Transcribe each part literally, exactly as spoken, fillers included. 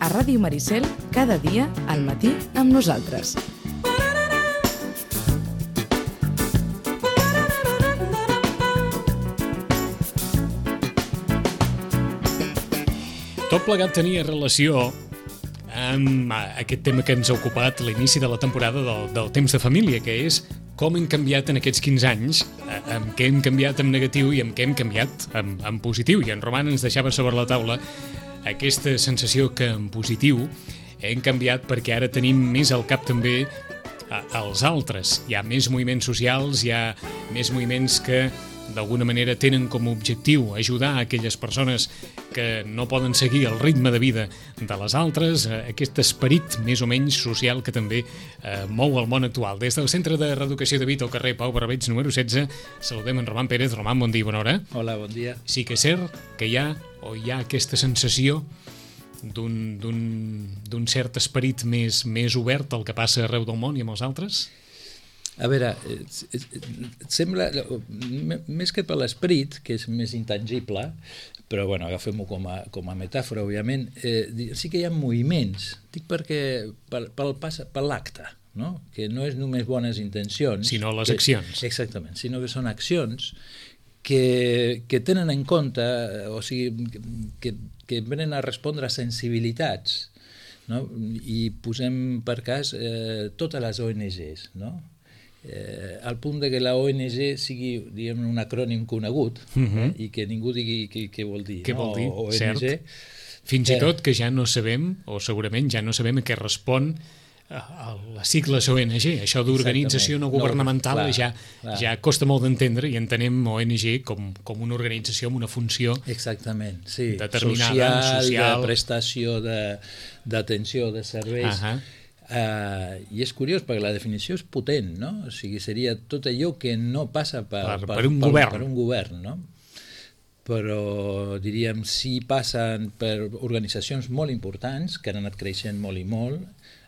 a Ràdio Maricel cada dia al matí amb nosaltres. Tot plegat tenia relació amb aquest tema que ens ha ocupat a l'inici de la temporada del, del temps de família, que és com hem canviat en aquests quinze anys, amb què hem canviat en negatiu i amb què hem canviat en, en positiu. I en Roman ens deixava sobre la taula aquesta sensació que en positiu hem canviat perquè ara tenim més al cap també als altres. Hi ha més moviments socials, hi ha més moviments que d'alguna manera tenen com a objectiu ajudar a aquelles persones que no poden seguir el ritme de vida de les altres, aquest esperit més o menys social que també eh, mou el món actual. Des del Centre de Reeducació de Vita al carrer Pau Barbeig número setze, saludem en Roman Pérez. Roman, bon dia i bona hora. Hola, bon dia. Sí que és cert que hi ha, o hi ha aquesta sensació d'un, d'un, d'un cert esperit més, més obert al que passa arreu del món i amb els altres? A veure, sembla, més que per l'esperit, que és més intangible, però bueno, agafem-ho com a, com a metàfora, òbviament, eh, sí que hi ha moviments, dic perquè per, per, per l'acte, no? Que no és només bones intencions, sinó les que, accions. Exactament, sinó que són accions que, que tenen en compte, o sigui, que, que venen a respondre a sensibilitats, no? I posem per cas eh, totes les O N Ges, no? Eh, al punt de que la O N G sigui, diguem, un acrònim conegut, uh-huh. eh, i que ningú digui què vol dir. Què no? vol dir, O N G, cert. Fins i tot que ja no sabem, o segurament ja no sabem a què respon a les sigles O N G. Això d'organització no governamental no, clar, ja, clar. ja costa molt d'entendre i entenem O N G com, com una organització amb una funció exactament, sí. determinada, social, social, de prestació d'atenció de, de serveis. Uh-huh. Uh, I és curiós perquè la definició és potent, no? O sigui, seria tot allò que no passa per, per, per, per un per, govern, per un govern, no? Però diríem, sí passen per organitzacions molt importants que han anat creixent molt i molt,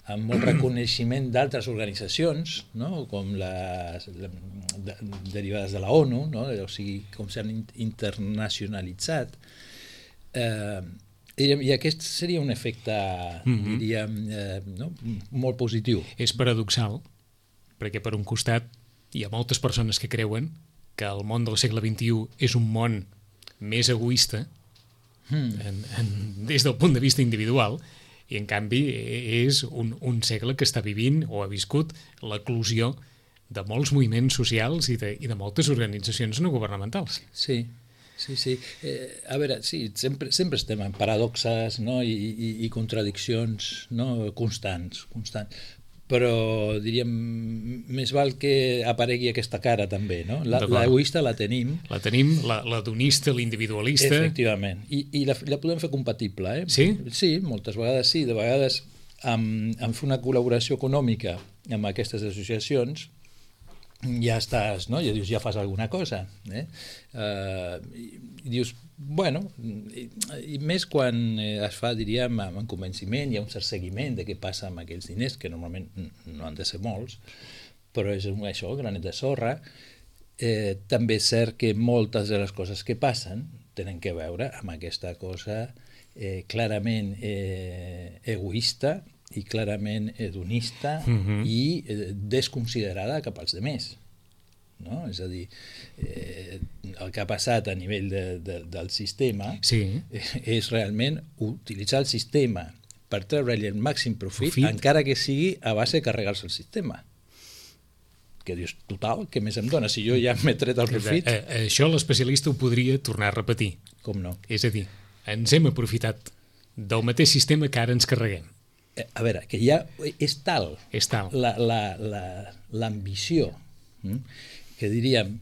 amb molt reconeixement d'altres organitzacions, no? Com les de, derivades de la ONU, no? O sigui, com s'han internacionalitzat. Eh, I aquest seria un efecte, mm-hmm. diríem, eh, no? molt positiu. És paradoxal, perquè per un costat hi ha moltes persones que creuen que el món del segle vint-i-u és un món més egoista mm. en, en, des del punt de vista individual, i en canvi és un, un segle que està vivint o ha viscut l'eclosió de molts moviments socials i de, i de moltes organitzacions no governamentals. Sí. Sí, sí. Eh, a veure, sí, sempre, sempre estem en paradoxes, no? I, i, i contradiccions, no? constants, constants. Però, diríem, més val que aparegui aquesta cara també, no? La, l'egoista la tenim. La tenim, la, la donista, l'individualista. Efectivament. I, i la, la podem fer compatible, eh? Sí? Sí, moltes vegades sí. De vegades, amb, amb fer una col·laboració econòmica amb aquestes associacions, ja estàs, no? Ja dius, ja fas alguna cosa, eh? Uh, i, i dius, bueno, i, i més quan es fa, diríem, amb convenciment, hi ha un cert seguiment de què passa amb aquells diners, que normalment no han de ser molts, però és això, granet de sorra. Eh, també és cert que moltes de les coses que passen tenen que veure amb aquesta cosa eh, clarament eh, egoista i clarament hedonista uh-huh. i eh, desconsiderada cap als demés. No? És a dir, eh, el que ha passat a nivell de, de, del sistema sí. eh, és realment utilitzar el sistema per treure-li el màxim profit, profit, encara que sigui a base de carregar-se el sistema. Que dius, total, què més em dona? Si jo ja m'he tret el profit... Eh, eh, això l'especialista ho podria tornar a repetir. Com no? És a dir, ens hem aprofitat del mateix sistema que ara ens carreguem. A veure, que ja és tal, és tal. La, la, la, l'ambició, hm? que diríem,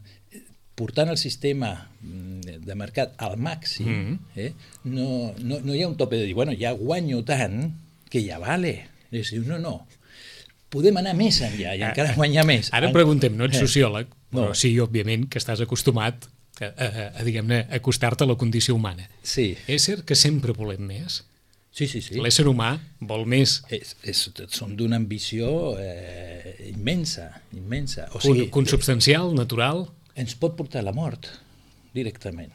portant el sistema de mercat al màxim, mm-hmm. eh? no, no, no hi ha un tope de dir, bueno, ja guanyo tant que ja vale. És dir, no, no, podem anar més enllà i encara guanyar més. Ara preguntem, no ets sociòleg, però no. sí, òbviament, que estàs acostumat a, a, a, diguem-ne, a acostar-te a la condició humana. Sí. És cert que sempre volem més? Sí, sí, sí. L'ésser humà vol més. És, és, som d'una ambició eh, immensa, immensa. O sigui, sigui, consubstancial, natural? Ens pot portar a la mort, directament.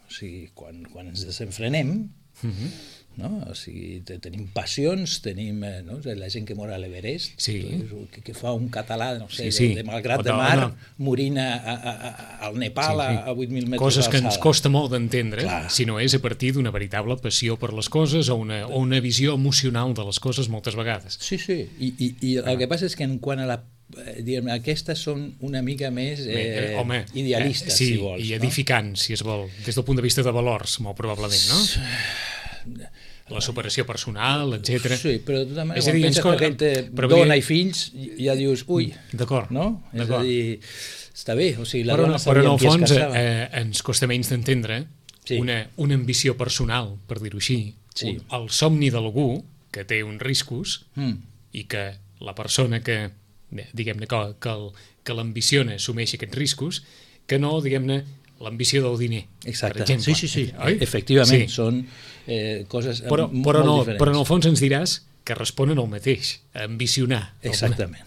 O sigui, quan, quan ens desenfrenem, Mhm. no? O sigui, te, tenim passions, tenim eh, no? la gent que mor a l'Everest, Sí. que, que fa un català, no sé, Sí, sí. de, de Malgrat O de de- Mar, no. morint a, a, a, al Nepal Sí, sí. a, a vuit mil metres Coses que ens d'alçada. costa molt d'entendre, Clar. si no és a partir d'una veritable passió per les coses o una, o una visió emocional de les coses moltes vegades. Sí, sí, i, i, i el que passa és que en quant a la eh, diguem, aquestes són una mica més eh, Eh, home, idealistes, eh, sí, si vols. i edificants, si es vol, des del punt de vista de valors, molt probablement, no? La superació personal, No? etcètera. Sí, però de tota manera, És a quan dir, ens penses co- que aquell té però vull dona dir- i fills, ja dius, ui, D'acord, no? És a d'acord. dir, està bé, o sigui, la Però, dona però en sabia el amb qui es fons casava. eh, ens costa menys d'entendre Sí. una, una ambició personal, per dir-ho així, Sí. un, el somni d'algú que té uns riscos Mm. i que la persona que, eh, diguem-ne, que, que, el- que l'ambiciona assumeixi aquests riscos, que no, diguem-ne, l'ambició del diner, Exacte, per exemple. sí, sí, sí, Oi? efectivament, Sí. són eh, coses eh, Però, m- però, molt no, diferents. però en el fons ens diràs que responen al mateix, a ambicionar. Exactament.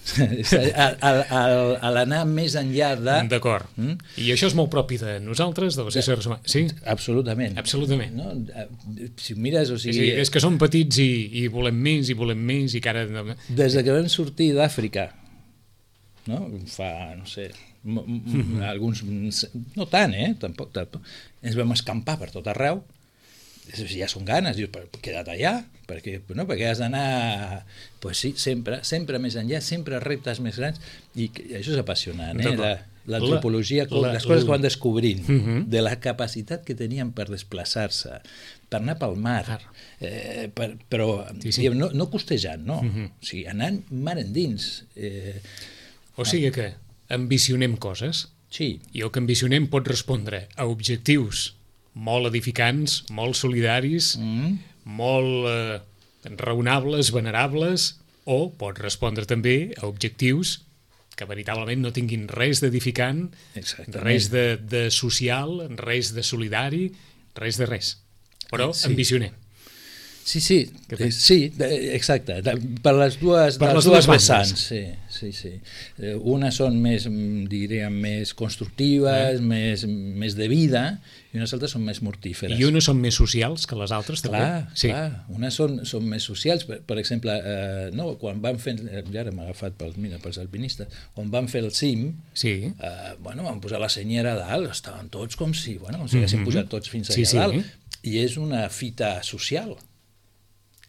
a, a, a, a l'anar més enllà de... D'acord. Mm? I això és molt propi de nosaltres, de les éssers humans. Sí? Absolutament. Absolutament. No? Si mires, o Sí, sigui, sí, és que som petits i, i volem més i volem més i que ara... des de que vam sortir d'Àfrica, no? Fa, no sé, m m alguns... No tant, eh? Tampoc, tampoc. Ens vam escampar per tot arreu. Ja són ganes, dius, però queda't allà, perquè, no? Perquè has d'anar... Pues sí, sempre, sempre més enllà, sempre reptes més grans, i que, això és apassionant, eh? La, l'antropologia, La- les coses la- que van descobrint, Uh -huh. de la capacitat que tenien per desplaçar-se, per anar pel mar, Clar. eh, per, però Sí, sí. diguem, no, no costejant, no, Uh -huh. o sigui, anant mar endins. Eh, O sigui que ambicionem coses sí, i el que ambicionem pot respondre a objectius molt edificants, molt solidaris, mm, molt eh, raonables, venerables, o pot respondre també a objectius que veritablement no tinguin res d'edificant, exactament. res de, de social, res de solidari, res de res. Però Sí. ambicionem. Sí, sí, Què eh, fas? sí, de- exacte, de, per les dues, Per les les dues dues bandes. vessants, sí, sí, sí. Eh, unes són més, mm, diríem, més constructives, Eh. més, més de vida, i unes altres són més mortíferes. I unes són més socials que les altres, també? Clar, sí. clar, unes són, són més socials, per, per exemple, eh, no, quan van fer, eh, ja ara m'ha agafat pels, mira, pels alpinistes, quan van fer el cim, Sí. eh, bueno, van posar la senyera a dalt, estaven tots com si, bueno, com si haguessin Mhm. pujat tots fins allà Sí, sí. a dalt, i és una fita social,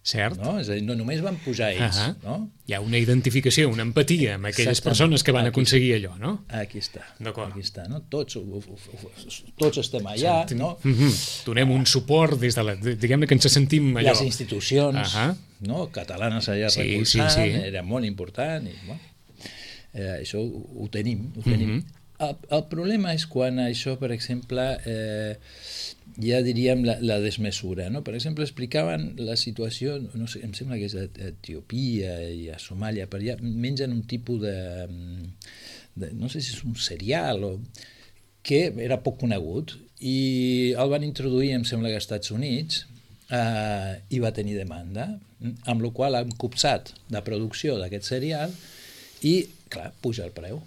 Cert? no? És a dir, no només van pujar ells, Ahà. no? Hi ha una identificació, una empatia amb aquelles Exactament. persones que van Aquí. aconseguir allò, no? Aquí està, D'acord. aquí està, no? Tots, ho- ho- ho- tots estem allà, no? Mm -hmm. Donem un suport des de la... Diguem-ne que ens sentim allò... Les institucions, Ahà. no? Catalanes allà Sí, recolzant, sí, sí. era molt important, i, bueno, eh, això ho, ho tenim, ho tenim. Mhm. el, el problema és quan això, per exemple, eh, ja diríem la, la desmesura, no? Per exemple, explicaven la situació, no sé, em sembla que és a Etiòpia i a Somàlia, per allà mengen un tipus de, de no sé si és un cereal o que era poc conegut i el van introduir, em sembla que als Estats Units, eh, i va tenir demanda, amb la qual han copsat la producció d'aquest cereal i, clar, puja el preu.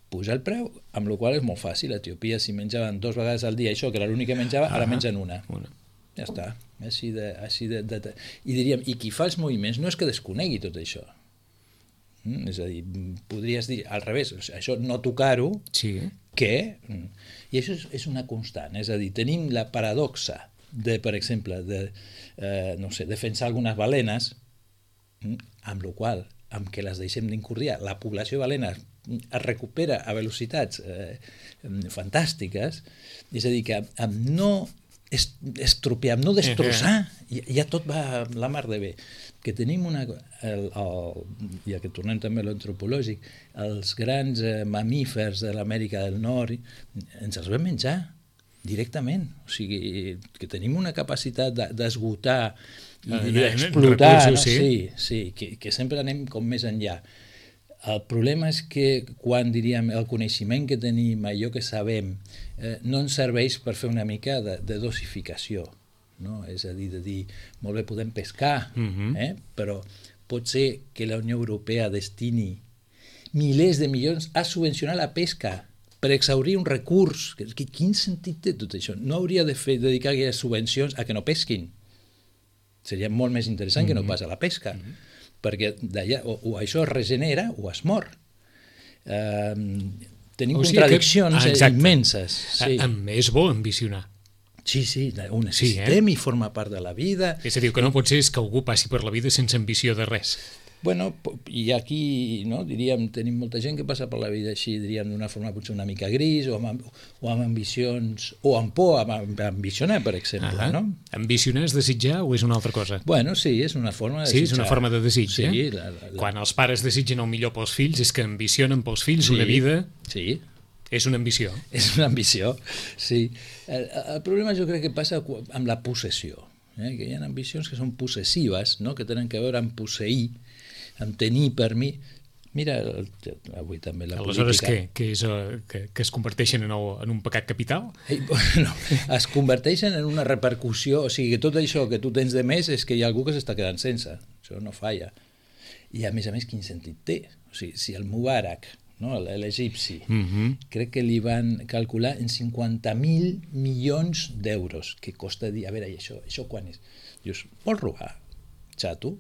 Puja el preu, amb la qual és molt fàcil. A Etiòpia, si menjaven dues vegades al dia això, que era l'únic que menjava, ara Ah, mengen una. una. Ja està. Així de, així de, de, de... I diríem, i qui fa els moviments no és que desconegui tot això. Mm? És a dir, podries dir al revés, o sigui, això no tocar-ho, Sí. que... I això és, és una constant, és a dir, tenim la paradoxa de, per exemple, de, eh, no sé, defensar algunes balenes, mm, amb la qual, amb què les deixem d'incordiar, la població de balenes es recupera a velocitats eh, fantàstiques, és a dir, que amb no estropear, amb no destrossar, ja, ja tot va la mar de bé. Que tenim una... El, el, ja que tornem també a l'antropològic, els grans eh, mamífers de l'Amèrica del Nord ens els vam menjar directament. O sigui, que tenim una capacitat d'esgotar i Eh, d'explotar, recursos, no? sí. Sí, sí, que, que sempre anem com més enllà. El problema és que quan, diríem, el coneixement que tenim, allò que sabem, eh, no ens serveix per fer una mica de, de dosificació, no? És a dir, de dir, molt bé, podem pescar, Mhm. eh? Però pot ser que la Unió Europea destini milers de milions a subvencionar la pesca per exaurir un recurs. Quin sentit té tot això? No hauria de fer, dedicar aquelles subvencions a que no pesquin. Seria molt més interessant mm-hmm. que no pas a la pesca, mm-hmm. perquè d'allà o, o això es regenera o es mor. Uh, tenim o sigui contradiccions que, ah, immenses. Sí. A, a, és bo ambicionar. Sí, sí, ho necessitem sí, eh? I forma part de la vida. És a dir, que no pot ser que algú passi per la vida sense ambició de res. Bueno, i aquí, no, diríem, tenim molta gent que passa per la vida així, diríem, d'una forma potser una mica gris, o amb, o amb ambicions, o amb por, amb ambicionar, per exemple. Ah, no? Ambicionar és desitjar o és una altra cosa? Bueno, sí, és una forma de sí, desitjar. Sí, és una forma de desig, sí, eh? La, la, la... Quan els pares desitgen el millor pels fills, és que ambicionen pels fills sí, una vida... Sí, és una ambició. És una ambició, sí. El, el problema jo crec que passa amb la possessió, eh? Que hi ha ambicions que són possessives, no? Que tenen que veure amb posseir, amb tenir per mi. Mira, avui també la Aleshores, política... Aleshores, què? És, que, que es converteixen en, el, en un pecat capital? Eh, no, es converteixen en una repercussió, o sigui, que tot això que tu tens de més és que hi ha algú que s'està quedant sense. Això no falla. I a més a més, quin sentit té? O sigui, si el Mubarak, no, l'egipci, uh-huh. crec que li van calcular en cinquanta mil milions d'euros, que costa dir, a veure, i això, això quan és? Dius, vols robar? Xato,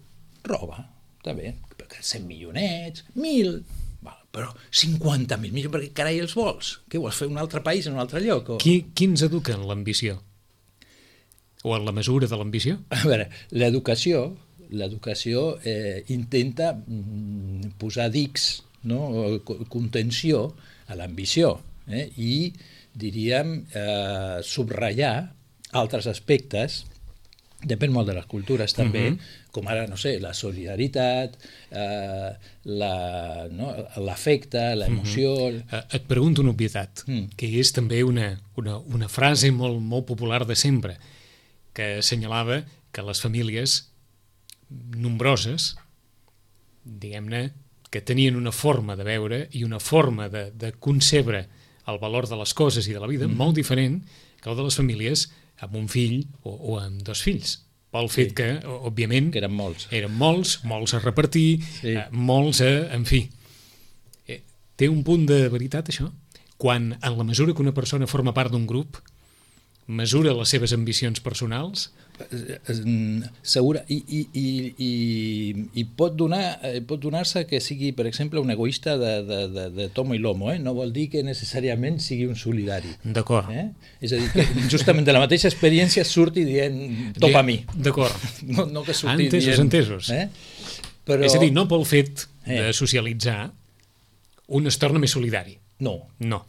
roba, està bé, perquè cent milionets, mil, val, però cinquanta mil milions, perquè carai els vols? Què vols fer un altre país en un altre lloc? O... Qui, qui ens educa en l'ambició? O en la mesura de l'ambició? A veure, l'educació, l'educació eh, intenta mm, posar dics, no? Contenció a l'ambició, eh? I diríem eh, subratllar altres aspectes, depèn molt de les cultures també, uh-huh. com ara, no sé, la solidaritat, eh, la, no? l'afecte, l'emoció... Uh-huh. Et pregunto una obvietat, uh-huh. que és també una, una, una frase molt, molt popular de sempre, que assenyalava que les famílies nombroses, diguem-ne, que tenien una forma de veure i una forma de, de concebre el valor de les coses i de la vida mm. molt diferent que el de les famílies amb un fill o, o amb dos fills. Pel fet sí. que, òbviament... Que eren molts. Eren molts, molts a repartir, sí. eh, molts a... En fi, eh, té un punt de veritat, això? Quan, en la mesura que una persona forma part d'un grup, mesura les seves ambicions personals... Segura, i, i, i, i, i pot donar pot donar-se que sigui, per exemple, un egoista de, de, de, de tomo i lomo, eh? No vol dir que necessàriament sigui un solidari. D'acord. Eh? És a dir, que justament de la mateixa experiència surti dient topa a mi. D'acord. No, no que surti entesos, dient... entesos. Eh? Però... És a dir, no pel fet eh. de socialitzar un es torna més solidari. No. No.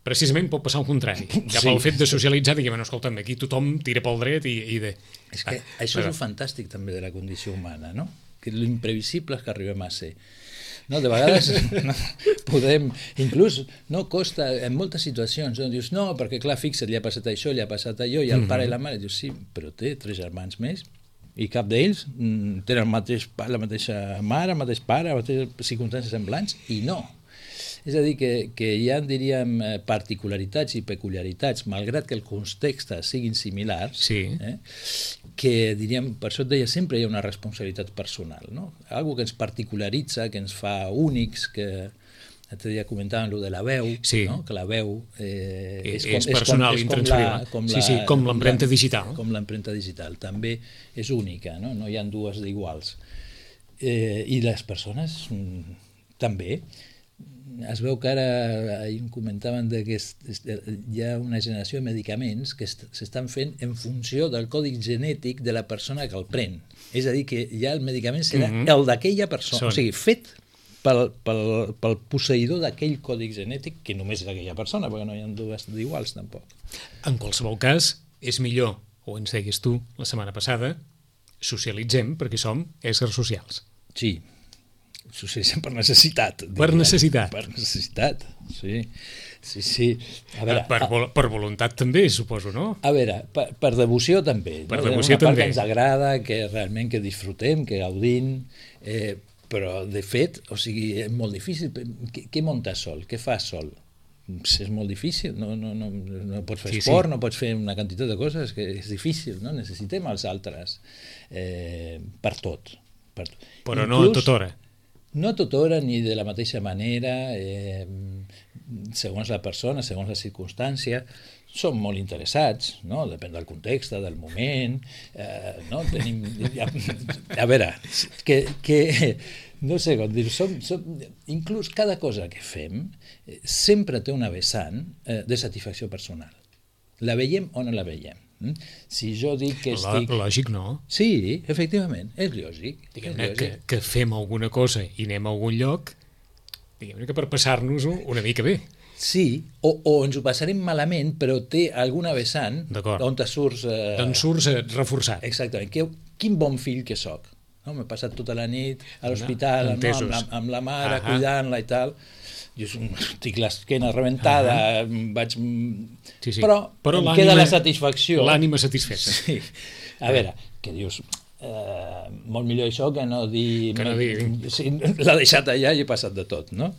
Precisament pot passar al contrari. Ja sí. pel fet de socialitzar, diguem, no, escolta'm, aquí tothom tira pel dret i... i de... És que ah, això però... és el fantàstic també de la condició humana, no? Que l'imprevisible és que arribem a ser. No, de vegades no, podem... Inclús no costa, en moltes situacions, no? Dius, no, perquè clar, fixa't, li ha passat això, li ha passat allò, i el mm-hmm. pare i la mare, dius, sí, però té tres germans més, i cap d'ells mm, tenen el mateix, la mateixa mare, el mateix pare, les mateixes circumstàncies semblants, i no. És a dir, que, que hi ha, diríem, particularitats i peculiaritats, malgrat que els contextes siguin similars, sí. eh, que, diríem, per això et deia, sempre hi ha una responsabilitat personal, no? Algo que ens particularitza, que ens fa únics, que l'altre dia comentàvem lo de la veu, sí. no? Que la veu eh, és, com, és personal, és com, és com la, com la, sí, sí, com l'empremta digital. Com l'empremta digital, també és única, no? No hi ha dues d'iguals. Eh, I les persones mm, també. Es veu que ara, ahir comentaven de que es, es, hi ha una generació de medicaments que s'estan fent en funció del codi genètic de la persona que el pren. És a dir, que ja el medicament serà mm-hmm. el d'aquella persona, Són. o sigui, fet pel, pel, pel posseïdor d'aquell codi genètic, que només és aquella persona, perquè no hi ha dues d'iguals tampoc. En qualsevol cas, és millor, o ens deies tu la setmana passada, socialitzem perquè som éssers socials. Sí. Socialitzem per necessitat. Per diria. necessitat. Per necessitat, sí. sí, sí. A veure, per, vol per voluntat també, suposo, no? A veure, per, per devoció també. Per no? devoció una part també. que ens agrada, que realment que disfrutem, que gaudim, eh, però de fet, o sigui, és molt difícil. Què, què muntes sol? Què fas sol? És molt difícil, no, no, no, no pots fer sí, esport, sí. no pots fer una quantitat de coses, que és difícil, no? Necessitem els altres eh, per tot. Per tot. Però Inclús, no a tota hora. No a tota hora ni de la mateixa manera. Eh, segons la persona, segons la circumstància, són molt interessats, no? Depèn del context, del moment, eh, no? Tenim, a, a veure, que, que no sé com dir, som, som, inclús cada cosa que fem eh, sempre té una vessant eh, de satisfacció personal. La veiem o no la veiem. Mm? Si jo dic que estic... Lògic, no? Sí, efectivament, és lògic. Diguem-ne que, que fem alguna cosa i anem a algun lloc, diguem-ne que per passar-nos-ho una mica bé. Sí, o, o ens ho passarem malament, però té alguna vessant on te surts... Eh... D'on surts eh, reforçat. Exactament. Que, quin bon fill que sóc. No? M'he passat tota la nit a l'hospital, no? amb, la, amb la mare, uh -huh. cuidant-la i tal. Jo tinc l'esquena rebentada, uh -huh. vaig... Sí, sí. Però, però em queda la satisfacció. L'ànima satisfeta. Sí. A veure, que dius... Eh, molt millor això que no dir... Que no dir... Sí, l'ha deixat allà i he passat de tot, no?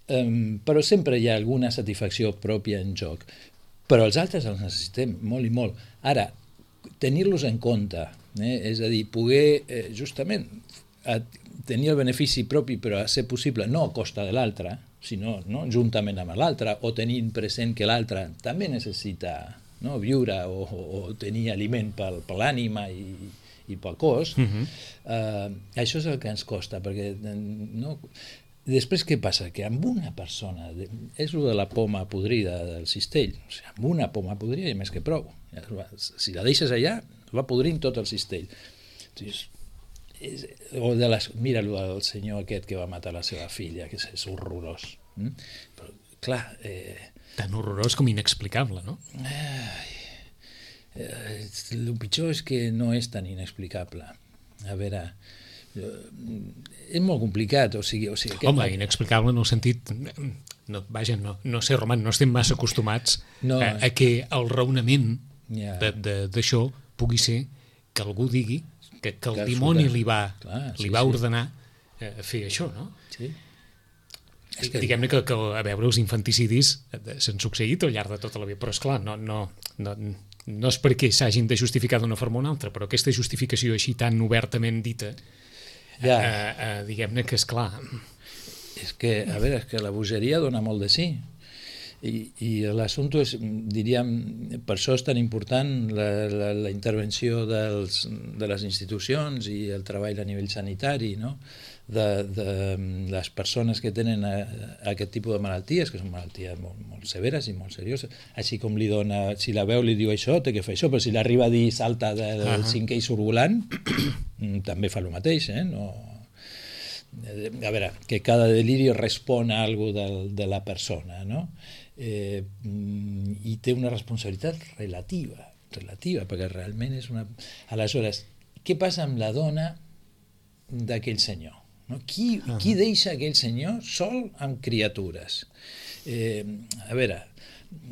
Um, però sempre hi ha alguna satisfacció pròpia en joc, però els altres els necessitem molt i molt. Ara, tenir-los en compte, eh? És a dir, poder eh, justament a, tenir el benefici propi però a ser possible no a costa de l'altre, sinó no, juntament amb l'altre, o tenint present que l'altre també necessita, no, viure o, o, o tenir aliment per, per l'ànima i, i pel cos. Uh-huh. uh, això és el que ens costa, perquè no... Després què passa? Que amb una persona, és el de la poma podrida del cistell, o sigui, amb una poma podrida hi ha més que prou. Si la deixes allà, va podrint tot el cistell. És, és, o de les, mira el senyor aquest que va matar la seva filla, que és, és horrorós. Mm? Però, clar... Eh, Tan horrorós com inexplicable, no? Eh, eh, el pitjor és que no és tan inexplicable. A veure... és molt complicat, o sigui... O sigui Home, aquest... inexplicable en el sentit... No, vaja, no, no sé, Roman, no estem massa acostumats no. a, a que el raonament yeah. d'això pugui ser que algú digui que, que el que dimoni li va, Clar, sí, li va sí. ordenar eh, fer això, no? Sí. És que... Diguem-ne que, que, a veure, els infanticidis s'han succeït al llarg de tota la vida, però esclar, no, no, no, no és perquè s'hagin de justificar d'una forma o una altra, però aquesta justificació així tan obertament dita... Ja. Uh, uh, diguem-ne que és clar. És que, a veure, és que la bogeria dona molt de sí. I, i l'assumpte és, diríem, per això és tan important la, la, la intervenció dels, de les institucions i el treball a nivell sanitari, no? de, de les persones que tenen a, a aquest tipus de malalties, que són malalties molt, molt severes i molt serioses, així com li dona, si la veu li diu això, té que fer això, però si l'arriba a dir salta del uh -huh. cinquè i surt volant, també fa el mateix, eh? No... A veure, que cada deliri respon a alguna cosa de, de la persona, no? Eh, i té una responsabilitat relativa, relativa, perquè realment és una... Aleshores, què passa amb la dona d'aquell senyor? No? Qui, uh -huh. qui deixa aquell senyor sol amb criatures? Eh, a veure,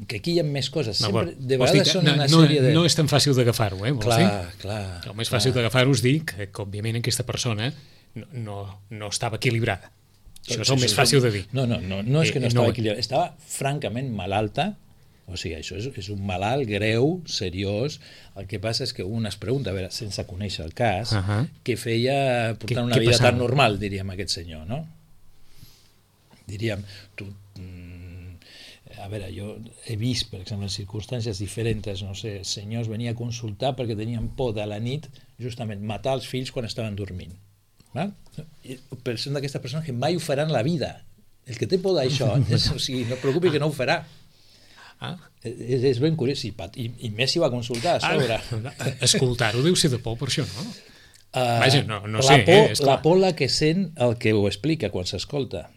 que aquí hi ha més coses. Sempre, de vegades són una no, sèrie de... No és tan fàcil d'agafar-ho, eh? Clar, dir? clar. El més fàcil d'agafar-ho és dir que, que, òbviament, aquesta persona no, no, no estava equilibrada. Això és el més fàcil de dir. No, no, no, no és que no estava equilibrada. Estava francament malalta. O sigui, això és, és un malalt greu, seriós. El que passa és que un es pregunta, a veure, sense conèixer el cas, uh -huh. què feia portant una vida tan normal, diríem, aquest senyor, no? Diríem, tu... A veure, jo he vist, per exemple, en circumstàncies diferents, no sé, senyors venia a consultar perquè tenien por de la nit, justament, matar els fills quan estaven dormint. Val? Però són d'aquestes persones que mai ho faran la vida. El que té por d'això, o sigui, no et preocupi que no ho farà. Ah. És, és ben curiós, i, i, i més si va consultar a sobre. Ah, escoltar-ho deu ser de por per això, no? Uh, Vaja, no, no la sé. Por, eh, la por la que sent el que ho explica quan s'escolta.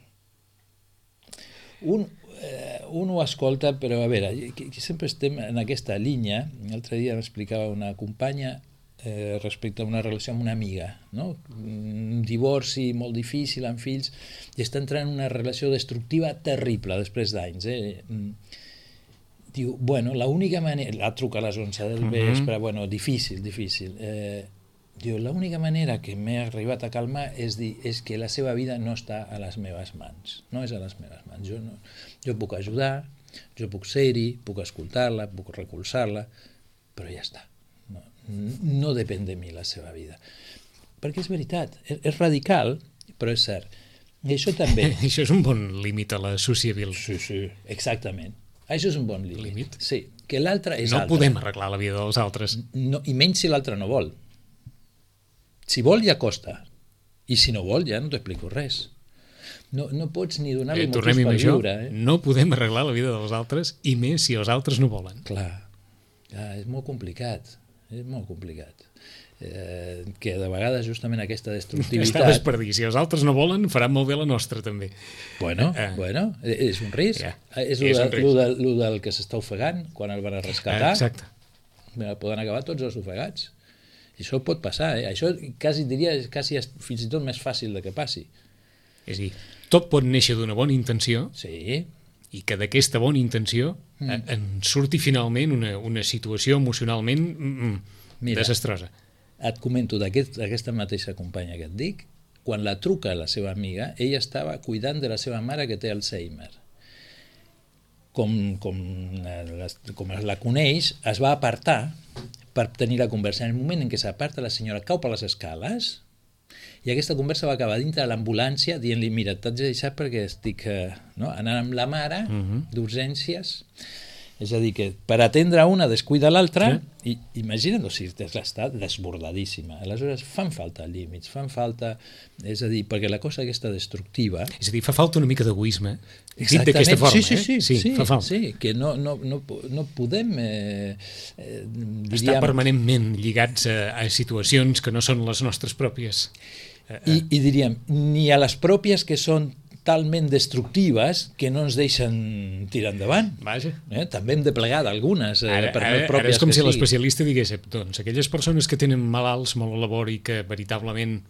Un, eh, un ho escolta, però a veure, sempre estem en aquesta línia. L'altre dia m'explicava una companya eh, respecte a una relació amb una amiga, no? Un divorci molt difícil amb fills, i està entrant en una relació destructiva terrible després d'anys, eh? Diu, bueno, l'única manera... La truca a les onze del vespre, uh -huh. bueno, difícil, difícil. Eh, diu, l'única manera que m'he arribat a calmar és dir, és que la seva vida no està a les meves mans. No és a les meves mans. Jo, no, jo puc ajudar, jo puc ser-hi, puc escoltar-la, puc recolzar-la, però ja està. No, no depèn de mi la seva vida. Perquè és veritat, és, és radical, però és cert. I això també. Això és un bon límit a la sociabil. Sí, sí, exactament. Això és un bon límit. Límit? Sí, que l'altre és No altre. podem arreglar la vida dels altres. No, I menys si l'altre no vol. Si vol ja costa. I si no vol ja no t'explico res. No, no pots ni donar-li Eh, motius tornem-hi per amb això. viure. Eh? No podem arreglar la vida dels altres, i més si els altres no volen. Clar, clar, és molt complicat. És molt complicat. Eh, que de vegades justament aquesta destructivitat... Estaves per dir, si els altres no volen, faran molt bé la nostra també. Bueno, Eh. bueno, és un risc. Ja, És, és lo un de, risc. lo, de, lo del que s'està ofegant quan el van a rescatar. Exacte. Mira, poden acabar tots els ofegats. I això pot passar, eh? Això quasi diria quasi fins i tot més fàcil de que passi. És a dir, tot pot néixer d'una bona intenció, Sí, i que d'aquesta bona intenció mm. eh, en surti finalment una, una situació emocionalment mm, Mira. desastrosa. et comento d'aquest- d'aquesta mateixa companya que et dic, quan la truca la seva amiga, ella estava cuidant de la seva mare que té Alzheimer. Com, com, la, com la coneix, es va apartar per tenir la conversa. En el moment en què s'aparta, la senyora cau per les escales i aquesta conversa va acabar dintre de l'ambulància dient-li, mira, t'haig de deixar perquè estic eh, no? anant amb la mare Mhm. d'urgències. És a dir, que per atendre una descuida l'altra, Sí. i imagina't, o sigui, està desbordadíssima. Aleshores fan falta límits, fan falta... És a dir, perquè la cosa aquesta destructiva... És a dir, fa falta una mica d'egoisme, dit d'aquesta forma, sí, sí, sí, eh? Sí, sí, fa falta. sí, que no, no, no, no podem... Eh, eh, Estar diríem, permanentment lligats a, a situacions que no són les nostres pròpies. Eh, i, I diríem, ni a les pròpies que són talment destructives que no ens deixen tirar endavant. Vaja. Eh? També hem de plegar d'algunes, eh, Ara, per ara, més ara pròpies és com que si siguin. l'especialista digués, doncs, aquelles persones que tenen malalts molt a labor i que veritablement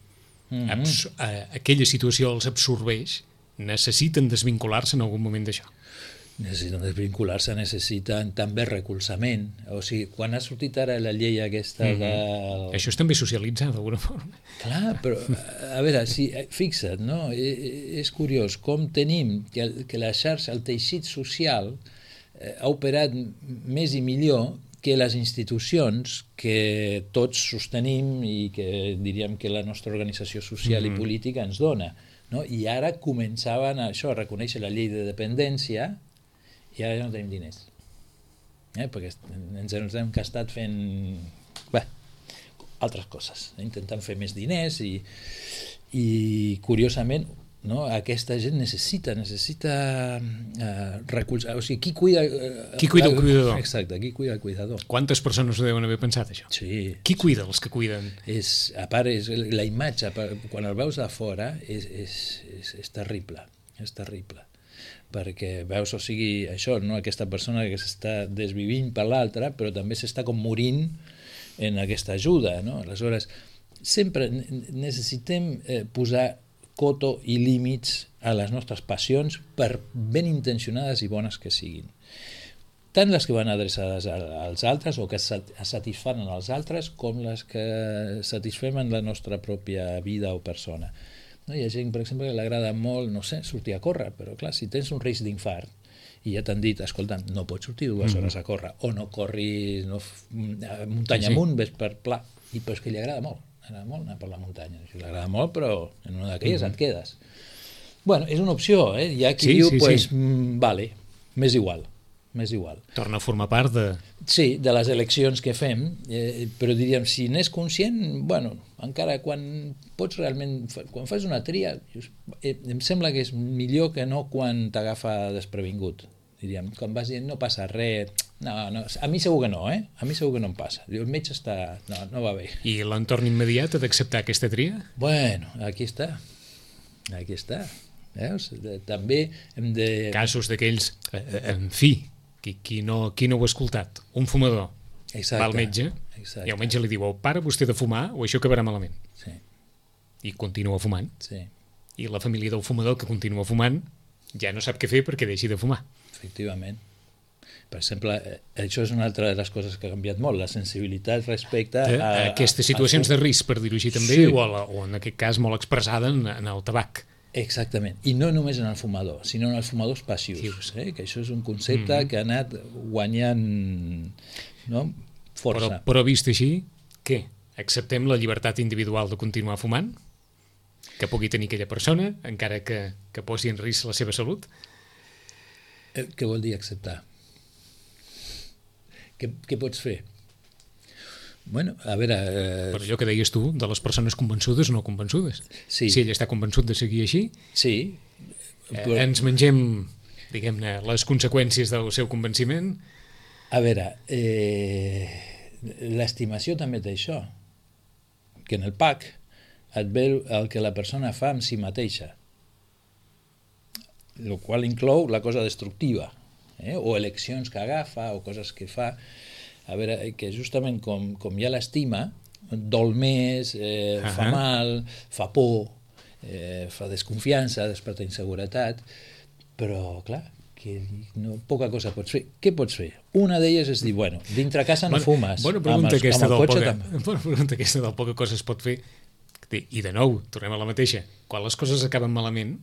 Mhm. abs eh, aquella situació els absorbeix, necessiten desvincular-se en algun moment d'això. Necessiten desvincular-se, necessiten també recolzament. O sigui, quan ha sortit ara la llei aquesta Mhm. del... Això és també socialitzar d'alguna forma. Clar, però a veure, si, fixa't, no? I- és curiós com tenim que, el, que la xarxa, el teixit social eh, ha operat m- més i millor que les institucions que tots sostenim i que diríem que la nostra organització social Mhm. i política ens dona. No? I ara començaven a, això, a reconèixer la llei de dependència i ara ja no tenim diners. Eh? Perquè est- ens, ens hem gastat fent... Bé, altres coses, eh? intentant fer més diners i, i curiosament no? aquesta gent necessita necessita uh, recolzar, o sigui, qui cuida uh, Qui cuida el cuidador? Exacte, qui cuida el cuidador. Quantes persones ho deuen haver pensat, això? Sí, Qui cuida els que cuiden? és, a part, és, la imatge, quan el veus de fora, és, és, és, és terrible, és terrible. Perquè veus, o sigui, això, no? Aquesta persona que s'està desvivint per l'altra, però també s'està com morint en aquesta ajuda, no? Aleshores, sempre necessitem eh, posar coto i límits a les nostres passions, per ben intencionades i bones que siguin. Tant les que van adreçades als altres o que satisfan als altres, com les que satisfem en la nostra pròpia vida o persona. No? Hi ha gent, per exemple, que li agrada molt, no sé, sortir a córrer, però clar, si tens un risc d'infart i ja t'han dit, escolta, no pots sortir dues hores a córrer, o no corris no, muntanya Sí. amunt, ves per pla, i però és que li agrada molt, li agrada molt anar per la muntanya, li agrada molt, però en una d'aquelles et quedes. Bueno, és una opció, eh? Hi ha qui Sí, diu, sí, pues, sí. mm, vale, m'és igual, m'és igual. Torna a formar part de... Sí, de les eleccions que fem, eh, però diríem, si n'és conscient, bueno, encara quan pots realment, quan fas una tria, dius, eh, em sembla que és millor que no quan t'agafa desprevingut. Diríem, quan vas dient, no passa res, no, no, a mi segur que no, eh? A mi segur que no em passa. Diu, el metge està... No, no va bé. I l'entorn immediat ha d'acceptar aquesta tria? Bueno, aquí està. Aquí està. Veus? De, també hem de... Casos d'aquells, eh, eh, en fi, qui, qui, no, qui no ho ha escoltat, un fumador Exacte. va al metge Exacte. i el metge li diu, o para vostè de fumar o això acabarà malament. Sí, I continua fumant. sí, I la família del fumador que continua fumant ja no sap què fer perquè deixi de fumar. efectivament. Per exemple, eh, això és una altra de les coses que ha canviat molt, la sensibilitat respecte Eh, a... a aquestes situacions de risc, per dir-ho així també, Sí. o, a la, o en aquest cas molt expressada en, en el tabac. Exactament, i no només en el fumador, sinó en els fumadors passius, eh? Que això és un concepte mm -hmm. que ha anat guanyant, no? Força. Però, però vist així, què? Acceptem la llibertat individual de continuar fumant? que pugui tenir aquella persona, encara que, que posi en risc la seva salut? Eh, què vol dir acceptar? Què, què pots fer? Bueno, a veure... Eh... Per allò que deies tu, de les persones convençudes o no convençudes. Sí. Si ell està convençut de seguir així, sí, però... eh, ens mengem, diguem-ne, les conseqüències del seu convenciment. A veure, eh, l'estimació també té això, que en el P A C et ve el que la persona fa amb si mateixa, el qual inclou la cosa destructiva, eh? O eleccions que agafa o coses que fa. A veure, que justament com, com hi ha l'estima, dol més, eh, uh -huh. fa mal, fa por, eh, fa desconfiança, desperta inseguretat, però, clar, que no, poca cosa pots fer. Què pots fer? Una d'elles és dir, bueno, dintre casa no bona, fumes. Bona pregunta, amb el, aquesta, amb el del cotxe poca, també. bona pregunta aquesta del poca cosa es pot fer. I de nou, tornem a la mateixa. Quan les coses acaben malament,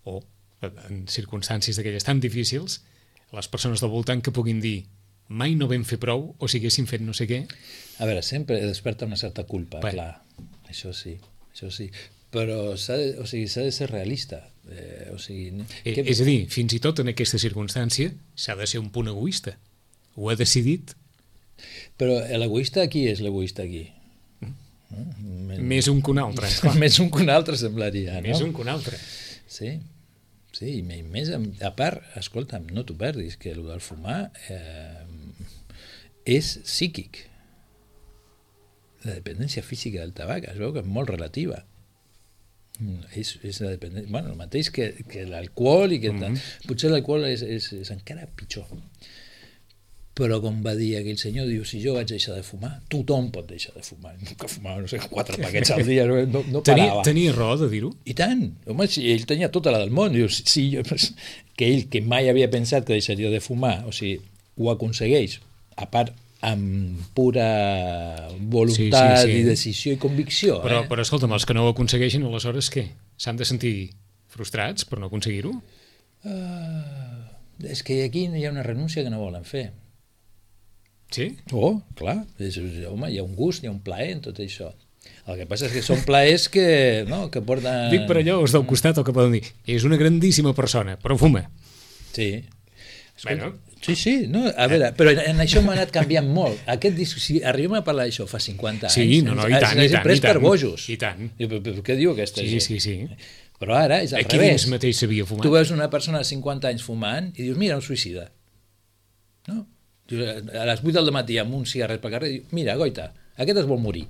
o en circumstàncies d'aquelles tan difícils, les persones del voltant que puguin dir mai no vam fer prou, o si haguéssim fet no sé què. A veure, sempre desperta una certa culpa, bueno. Clar, això sí, això sí. Però s'ha de, o sigui, s'ha de ser realista. Eh, o sigui, eh, que... És a dir, fins i tot en aquesta circumstància s'ha de ser un punt egoista. Ho ha decidit. Però l'egoista aquí és l'egoista aquí. Mm. Més, més un que un altre. Més un que un altre semblaria, no? Més un que un altre. Sí, sí, i més, a part, escolta'm, no t'ho perdis, que el del fumar eh, és psíquic. La dependència física del tabac es veu que és molt relativa. És, és la dependència, bueno, el mateix que, que l'alcohol i que mm-hmm. potser l'alcohol és, és, és encara pitjor. Però com va dir aquell senyor, diu, si jo vaig deixar de fumar, tothom pot deixar de fumar. Que fumava, no sé, quatre paquets al dia, no, no parava. Tenia, tenia raó de dir-ho? I tant. Home, si ell tenia tota la del món. Diu, si jo, que ell, que mai havia pensat que deixaria de fumar, o sigui, ho aconsegueix, a part amb pura voluntat sí, sí, sí. i decisió i convicció. Però, eh? però escolta'm, els que no ho aconsegueixen, aleshores què? S'han de sentir frustrats per no aconseguir-ho? Uh, és que aquí hi ha una renúncia que no volen fer. Sí? Oh, clar. És, home, hi ha un gust, hi ha un plaer en tot això. El que passa és que són plaers que, no, que porten... Dic per allò, els del costat, el que poden dir, és una grandíssima persona, però fuma. Sí. Escolta, bueno. Sí, sí, no, a veure, però en això m'ha anat canviant molt. Aquest disc, si arribem a parlar d'això fa cinquanta anys, sí, no, no, i tant, i tant, pres i tant, per bojos. I tant. I, però, què diu aquesta sí, gent? Sí, sí, sí. Però ara és al Aquí revés. Aquí dins mateix s'havia fumat. Tu veus una persona de cinquanta anys fumant i dius, mira, un suïcida. No? A les vuit del matí amb un cigarret pel carrer, diu, mira, goita, aquest es vol morir.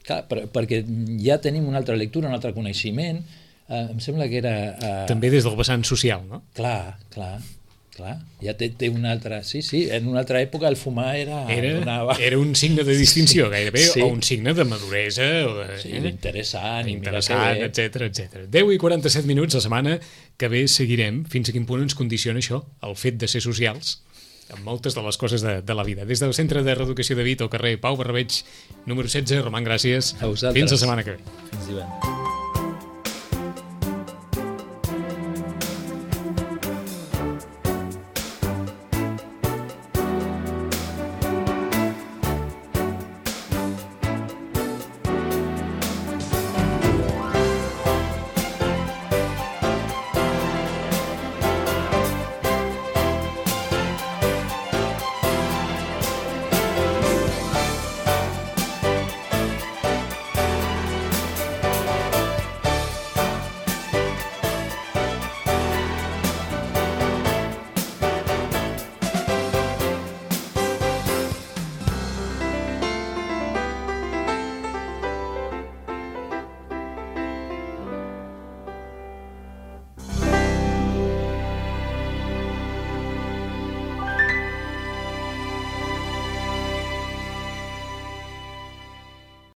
Clar, per, perquè ja tenim una altra lectura, un altre coneixement. Eh, em sembla que era... Eh... També des del vessant social, no? Clar, clar. Clar, ja té, té una altra... Sí, sí, en una altra època el fumar era... Era, una... era un signe de distinció, sí, gairebé, sí. o un signe de maduresa, o de... Sí, d'interessant. Interessant, etcètera, etcètera. deu i quaranta-set minuts, la setmana que ve seguirem fins a quin punt ens condiciona això, el fet de ser socials, amb moltes de les coses de, de la vida. Des del Centre de Reeducació de Vito, al carrer Pau Barrabeig, número setze, Roman, gràcies. A vosaltres. Fins la setmana que ve. Fins divendres.